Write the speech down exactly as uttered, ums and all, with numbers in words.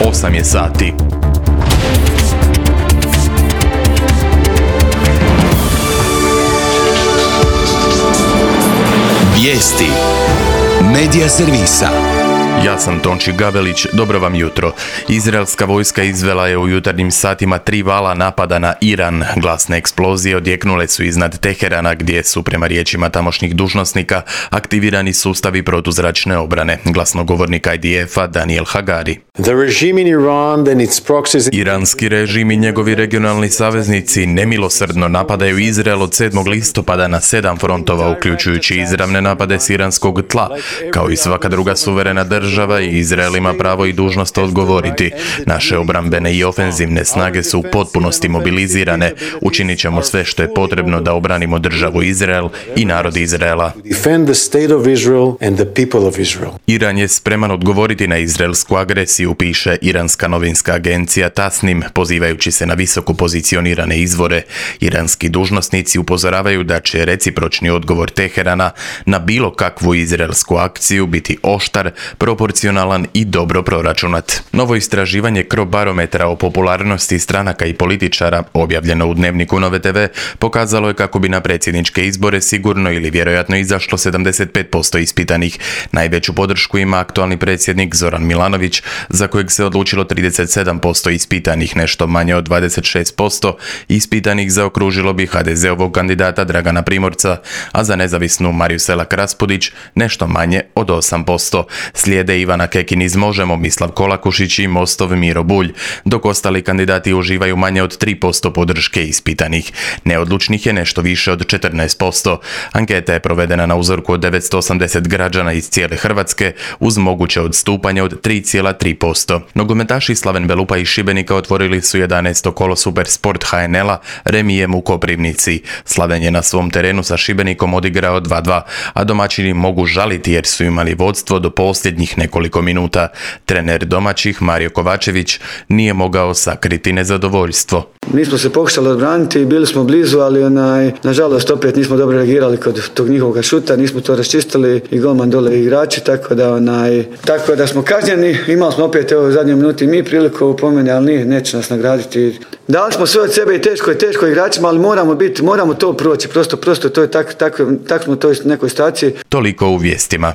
osam je sati. Vijesti Medija servisa. Ja sam Tonči Gavelić, dobro vam jutro. Izraelska vojska izvela je u jutarnjim satima tri vala napada na Iran. Glasne eksplozije odjeknule su iznad Teherana, gdje su, prema riječima tamošnjih dužnosnika, aktivirani sustavi protuzračne obrane. Glasnogovornik I D F-a Daniel Hagari. Iranski režim i njegovi regionalni saveznici nemilosrdno napadaju Izrael od sedmog listopada na sedam frontova, uključujući izravne napade s iranskog tla. Kao i svaka druga suverena država, i Izrael ima pravo i dužnost odgovoriti. Naše obrambene i ofenzivne snage su u potpunosti mobilizirane. Učinit ćemo sve što je potrebno da obranimo državu Izrael i narod Izraela. Iran je spreman odgovoriti na izraelsku agresiju, piše iranska novinska agencija Tasnim, pozivajući se na visoko pozicionirane izvore. Iranski dužnosnici upozoravaju da će recipročni odgovor Teherana na bilo kakvu izraelsku akciju biti oštar, proporcionalan i dobro proračunat. Novo istraživanje Crobarometra o popularnosti stranaka i političara, objavljeno u Dnevniku Nove T V, pokazalo je kako bi na predsjedničke izbore sigurno ili vjerojatno izašlo sedamdeset pet posto ispitanih. Najveću podršku ima aktualni predsjednik Zoran Milanović, za kojeg se odlučilo trideset sedam posto ispitanih, nešto manje od dvadeset šest posto ispitanih zaokružilo bi H D Z-ovog kandidata Dragana Primorca, a za nezavisnu Mariju Selak Raspudić nešto manje od osam posto. Slijede Ivana Kekin iz Možemo, Mislav Kolakušić i Mostov Miro Bulj, dok ostali kandidati uživaju manje od tri posto podrške ispitanih. Neodlučnih je nešto više od četrnaest posto. Anketa je provedena na uzorku od devetsto osamdeset građana iz cijele Hrvatske, uz moguće odstupanje od tri zarez tri posto. Nogometaši Slaven Belupa iz Šibenika otvorili su jedanaesto kolo Supersport H N L-a remijem u Koprivnici. Slaven je na svom terenu sa Šibenikom odigrao dva dva, a domaćini mogu žaliti jer su imali vodstvo do posljednjih nekoliko minuta. Trener domaćih Mario Kovačević nije mogao sakriti nezadovoljstvo. Mi smo se pokušali odbraniti, bili smo blizu, ali onaj, nažalost opet nismo dobro reagirali kod tog njihovog šuta, nismo to raščistili i golman dole igrači, tako da onaj, tako da smo kažnjeni. Imali smo opet evo u zadnjoj minuti mi priliku po meni, ali nije, neće nas nagraditi. Dali smo sve od sebe i teško je teško igračima, ali moramo biti, moramo to proći, prosto, prosto to je tako, tako, tako smo u toj nekoj situaciji. Toliko u vijestima.